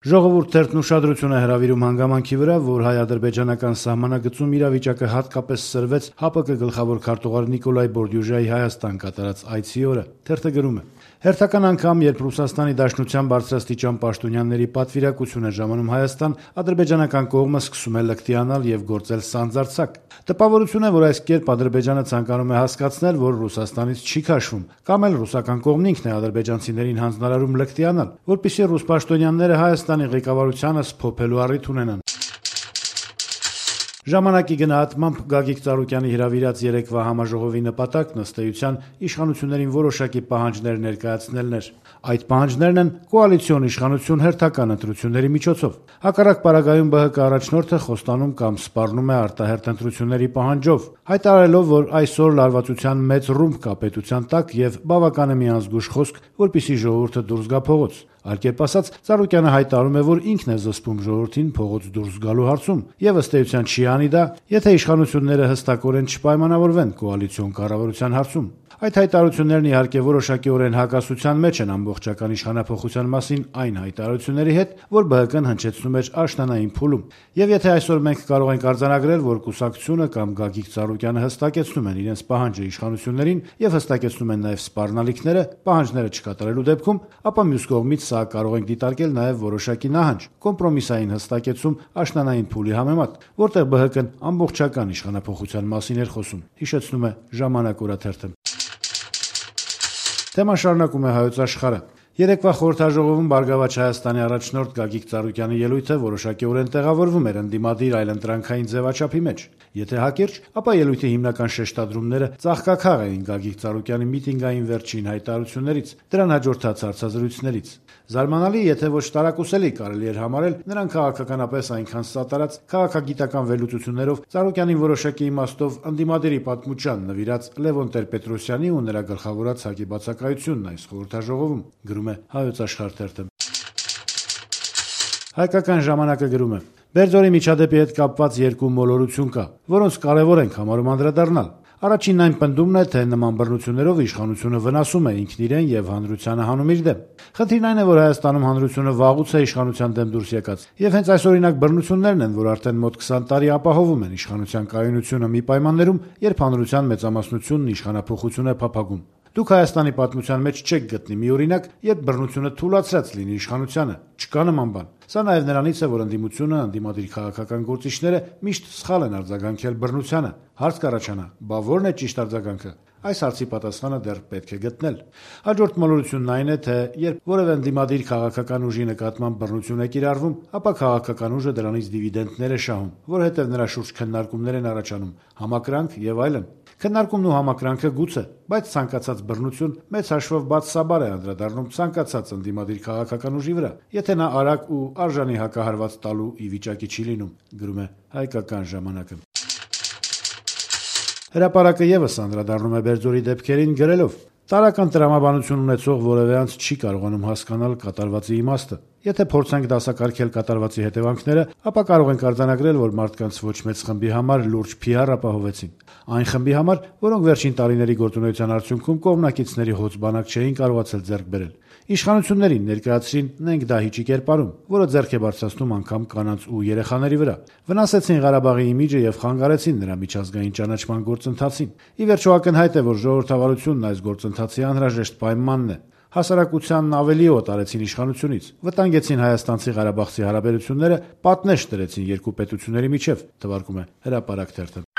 Ժողովուրդ թերթն ուշադրություն է հրավիրում հանգամանքի վրա, որ հայ-ադրբեջանական սահմանագծում իրավիճակը հատկապես սրվեց ՀԱՊԿ գլխավոր քարտուղար Նիկոլայ Բորդյուժայի Հայաստան կատարած այցի օրը։ Թերթը գրում է. «Հերթական անգամ, երբ Ռուսաստանի Դաշնության բարձրաստիճան պաշտոնյաների պատվիրակություն է ժամանում Հայաստան, ադրբեջանական կողմը սկսում է լկտիանալ եւ գործել սանձարձակ։ Տպավորություն է, որ այս կերպ Ադրբեջանը ցանկանում է հասկացնել, որ Ռուսաստանից չի քաշվում, կամ էլ ռուսական կողմն ինքն է ադրբեջանցիներին հանձնարարում լկտիանալ, որպեսզի ռուս պաշտոնյաները Հայաստանի ղեկավարությանը սփոփելու առիթ ունենան»։ Ժամանակի գնահատմամբ Գագիկ Ծառուկյանի հրավիրած երեկվա համաժողովի նպատակն ըստ էության իշխանություններին որոշակի պահանջներ ներկայացնելն էր։ Այդ պահանջներն են կոալիցիոն իշխանություն հերթական ընտրությունների միջոցով։ Հակառակ պարագայում ԲՀԿ առաջնորդը խոստանում կամ սպառնում է արտահերթ ընտրությունների պահանջով, հայտարարելով, որ այսօր լարվածության մեծ ռումբ կա պետության տակ եւ բավական է մի անզգույշ խոսք, որպեսզի ժողովուրդը դուրս գա փողոց։ Այլ կերպ ասած, Ծառուկյանը հայտարարում է, որ ինքն է զսպում ժողովրդին փողոց դուրս գալու հարցում եւ ըստ էության չի անի դա, եթե իշխանությունները հստակորեն չպայմանավորվեն կոալիցիոն կառավարության հարցում։ Այդ հայտարարություններն իհարկե որոշակիորեն հակասության մեջ են ամբողջական իշխանափոխության մասին այն հայտարարությունների հետ, որ ԲՀԿ-ն հնչեցնում էր աշնանային փուլում։ Եվ եթե այսօր մենք կարող ենք արձանագրել, որ կուսակցությունը կամ Գագիկ Ծառուկյանը հստակեցնում են իրենց պահանջը իշխանություններին եւ հստակեցնում են նաեւ սպառնալիքները պահանջները չկատարելու դեպքում, ապա մյուս կողմից սա կարող ենք դիտարկել նաեւ որոշակի նահանջ, կոմպրոմիսային հստակեցում աշնանային փուլի համեմատ, որտեղ ԲՀԿ-ն ամբողջական իշխանափոխության մասին էր խոսում, հիշեցնում է «Ժամանակ» օրաթերթը։ Թեման շարունակում է Հայոց Աշխարհը։ Երեկվա խորհրդաժողովում Բարգավաճ Հայաստանի առաջնորդ Գագիկ Ծառուկյանի ելույթը որոշակիորեն տեղավորվում էր ընդդիմադիր այլընտրանքային ձևաչափի մեջ։ Եթե հակիրճ, ապա ելույթի հիմնական շեշտադրումները ծաղկաքաղ էին Գագիկ Ծառուկյանի միտինգային վերջին հայտարարություններից, դրան հաջորդած հարցազրույցներից։ Զարմանալի, եթե ոչ տարակուսելի կարելի էր համարել նրան քաղաքականապես այնքան սատարած քաղաքագիտական վերլուծություններով Ծառուկյանին որոշակի իմաստով ընդդիմադիրի պատմության նվիրած Լևոն Տեր-Պետրոսյանի ու նրա գլխավորած ՀԱԿ-ի բացակայությունն այս խորհրդաժողովում, գրում է Հայոց Աշխարհ թերթը։ Հայկական ժամանակը գրում է. «Բերձորի միջադեպի հետ կապված երկու մոլորություն կա, որոնց կարևոր ենք համարում անդրադառնալ։ Առաջինն այն պնդումն է, թե նման բռնություններով իշխանությունը վնասում է ինքն իրեն եւ հանրությանը հանում իր դեմ։ Խնդիրն այն է, որ Հայաստանում հանրությունը վաղուց է իշխանության դեմ դուրս եկած, եւ հենց այսօրինակ բռնություններն են, որ արդեն մոտ 20 տարի ապահովում են իշխանության կայունությունը մի պայմաններում, երբ հանրության մեծամասնությունն իշխանափոխություն է փափագում։ Դուք Հայաստանի պատմության մեջ չեք գտնի մի օրինակ, երբ բռնությունը թուլացրած լինի իշխանությանը։ Չկա նման բան։ Սա նաև նրանից է, որ ընդդիմությունը, ընդդիմադիր քաղաքական գործիչները միշտ սխալ են արձագանքել բռնությանը։ Հարց կառաջանա՝ բա ո՞րն է ճիշտ արձագանքը։ Այս հարցի պատասխանը դեռ պետք է գտնել։ Հաջորդ մոլորությունն այն է, թե երբ որևէ ընդդիմադիր քաղաքական ուժի նկատմամբ բռնություն է կիրառվում, ապա քաղաքական ուժը դրանից դիվիդենտներ է շահում, որովհետև նրա շուրջ քննարկումներ են առաջանում, համակրանք եւ այլն։ Քննարկումն ու համակրանքը գուցե, բայց ցանկացած բռնություն մեծ հաշվով բացասաբար է անդրադառնում ցանկացած ընդդիմադիր քաղաքական ուժի վրա, եթե նա արագ ու արժանի հակահարված տալու ի վիճակի չի լինում, գրում է Հայկական ժամանակը։ Հրապարակը եւս անդրադառնում է Բերձորի դեպքերին գրելով. «Տարրական տրամաբանություն ունեցող որևէ անձ չի կարողանում հասկանալ կատարվածի իմաստը։ Եթե փորձենք դասակարգել կատարվածի հետևանքները, ապա կարող ենք արձանագրել, որ մարդկանց ոչ մեծ խմբի համար լուրջ PR ապահովեցին։ Այն խմբի համար, որոնք վերջին տարիների գործունեության արդյունքում կողմնակիցների հոծ բանակ չէին կարողացել ձեռք բերել։ Իշխանություններին ներկայացրին նենք դահիճի կերպարում, որը ձեռք է բարձրացնում անգամ կանանց ու երեխաների վրա։ Վնասեցին Ղարաբաղի իմիջը եւ խանգարեցին նրա միջազգային ճանաչման գործընթացին։ Ի վերջո ակնհայտ է, որ ժողովրդավարությունն այս գործընթացի անհրաժեշտ պայմանն է։ Հասարակությանն ավելի օտարեցին իշխանությունից, վտանգեցին հայաստանցի-ղարաբաղցի հարաբերությունները, պատնեշ դրեցին երկու պետությունների միջև», թվարկում է Հրապարակ թերթը։